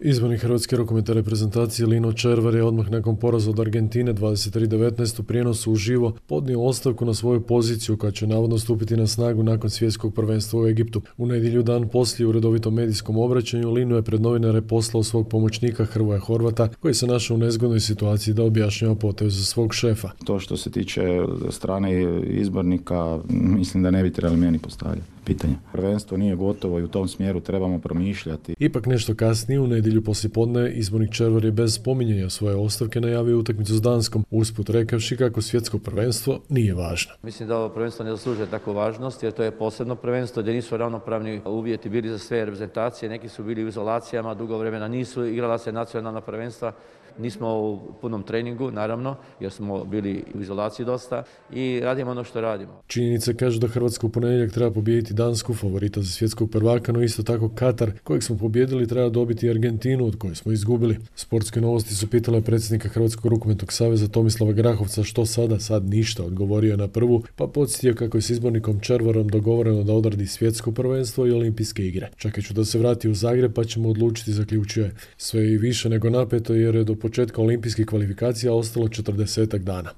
Izbornik hrvatske rukometne reprezentacije Lino Červar je odmah nakon poraza od Argentine 23:19 u prijenosu uživo podnio ostavku na svoju poziciju koja će navodno stupiti na snagu nakon svjetskog prvenstva u Egiptu. U nedjelju dan poslije u redovitom medijskom obraćanju Lino je pred novinare poslao svog pomoćnika Hrvoja Horvata koji se našao u nezgodnoj situaciji da objašnjava potez svog šefa. To što se tiče strane izbornika, mislim da ne bi trebali meni postavljati pitanja. Prvenstvo nije gotovo i u tom smjeru trebamo promišljati. Ipak nešto kasnije u nedjelju poslijepodne izbornik Červar je bez spominjanja svoje ostavke najavio utakmicu s Danskom, usput rekavši kako svjetsko prvenstvo nije važno. Mislim da ovo prvenstvo ne zaslužuje takvu važnost jer to je posebno prvenstvo gdje nisu ravnopravni uvjeti bili za sve reprezentacije, neki su bili u izolacijama, dugo vremena nisu igrala se nacionalna prvenstva. Nismo u punom treningu, naravno, jer smo bili u izolaciji dosta i radimo ono što radimo. Činjenice kažu da Hrvatska u ponedjeljak treba pobijediti Dansku, favorita za svjetskog prvaka, no isto tako Katar, kojeg smo pobijedili, treba dobiti Argentinu, od koje smo izgubili. Sportske novosti su pitale predsjednika Hrvatskog rukometnog saveza Tomislava Grahovca što sada, sad ništa, odgovorio je na prvu, pa podsjetio kako je s izbornikom Červarom dogovoreno da odradi svjetsko prvenstvo i olimpijske igre. Čekat ću da se vrati u Zagreb pa ćemo odlučiti, zaključio je. Sve i više nego napeto jer je do početka olimpijskih kvalifikacija ostalo 40 dana.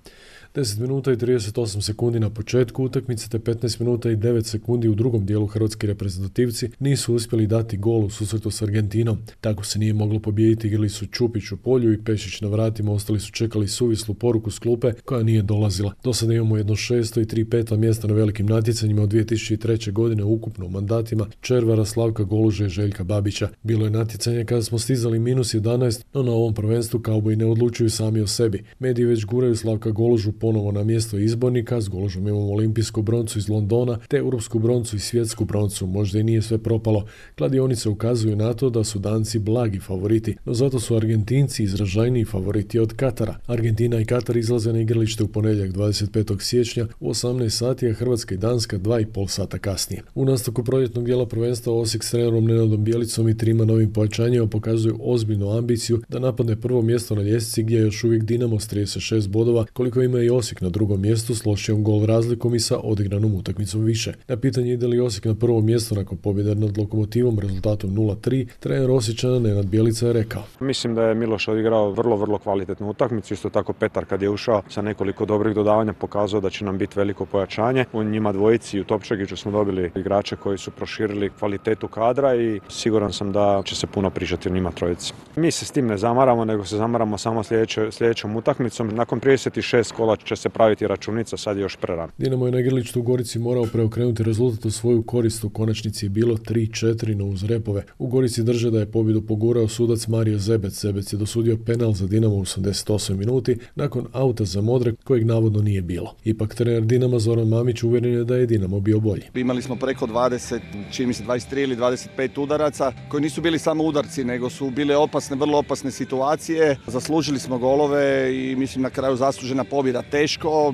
10 minuta i 38 sekundi na početku utakmice te 15 minuta i 9 sekundi u drugom dijelu hrvatski reprezentativci nisu uspjeli dati gol u susretu s Argentinom. Tako se nije moglo pobijediti, igrali su Čupić u polju i Pešić na vratima, ostali su čekali suvislu poruku s klupe koja nije dolazila. Do sada imamo jedno 6. i 3 peta mjesta na velikim natjecanjima od 2003. godine ukupno u mandatima Červara, Slavka Goluže i Željka Babića. Bilo je natjecanje kada smo stizali -11, no na ovom prvenstvu kauboji ne odlučuju sami o sebi. Mediji već guraju Slavka Golužu ponovo na mjesto izbornika, s Golužom imamo olimpijsku broncu iz Londona, te europsku broncu i svjetsku broncu, možda i nije sve propalo. Kladionice ukazuju na to da su Danci blagi favoriti, no zato su Argentinci izražajniji favoriti od Katara. Argentina i Katar izlaze na igralište u ponedjeljak 25. siječnja u 18 sati, a Hrvatska i Danska 2,5 sata kasnije. U nastavku proljetnog dijela prvenstva Osijek s trenerom Nenadom Bjelicom i 3 novim pojačanjima pokazuju ozbiljnu ambiciju da napadne prvo mjesto na ljestvici gdje je još uvijek Dinamo s 36 bodova, koliko ima i Osijek na drugom mjestu s lošijom gol razlikom i sa odigranom utakmicom više. Na pitanje ide li Osijek na prvo mjesto nakon pobjede nad Lokomotivom rezultatom 0-3, trener Osječana Nenad Bjelica je rekao: Mislim da je Miloš odigrao vrlo kvalitetnu utakmicu, isto tako Petar kad je ušao sa nekoliko dobrih dodavanja pokazao da će nam biti veliko pojačanje. U njima dvojici i u Topčagiću smo dobili igrače koji su proširili kvalitetu kadra i siguran sam da će se puno pričati o njima trojici. Mi se s tim ne zamaramo, nego se zamaramo samo sljedećom utakmicom. Nakon 36 kola će se praviti računica, sad je još prerano. Dinamo je na igralištu u Gorici morao preokrenuti rezultat u svoju korist, u konačnici je bilo 3-4, no uz repove. U Gorici drže da je pobjedu pogurao sudac Mario Zebec. Zebec je dosudio penal za Dinamo u 88 minuti nakon auta za Modre kojeg navodno nije bilo. Ipak trener Dinama Zoran Mamić uvjeren je da je Dinamo bio bolji. Imali smo preko 20, čini mi se 23 ili 25 udaraca koji nisu bili samo udarci, nego su bile opasne, vrlo opasne situacije. Zaslužili smo golove i mislim na kraju zaslužena pobjeda. Teško,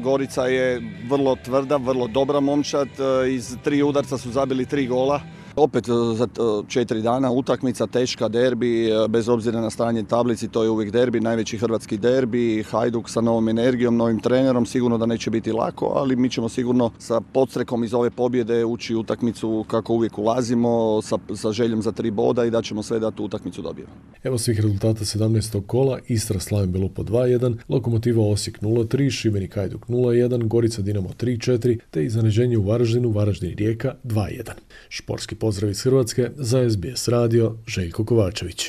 Gorica je vrlo tvrda, vrlo dobra momčad, iz 3 udarca su zabili 3 gola. Opet za 4 dana utakmica, teška, derbi, bez obzira na stanje tablici, to je uvijek derbi, najveći hrvatski derbi, Hajduk sa novom energijom, novim trenerom, sigurno da neće biti lako, ali mi ćemo sigurno sa podstrekom iz ove pobjede ući u utakmicu kako uvijek ulazimo, sa željom za 3 boda i da ćemo sve da tu utakmicu dobijemo. Evo svih rezultata 17. kola: Istra Slaven Belupo 2-1, Lokomotiva Osijek 0-3, Šibenik Hajduk 0-1, Gorica Dinamo 3-4, te iznenađenje u Varaždinu, Varaždin Rijeka 2-1. Športski pozdrav iz Hrvatske, za SBS radio, Željko Kovačević.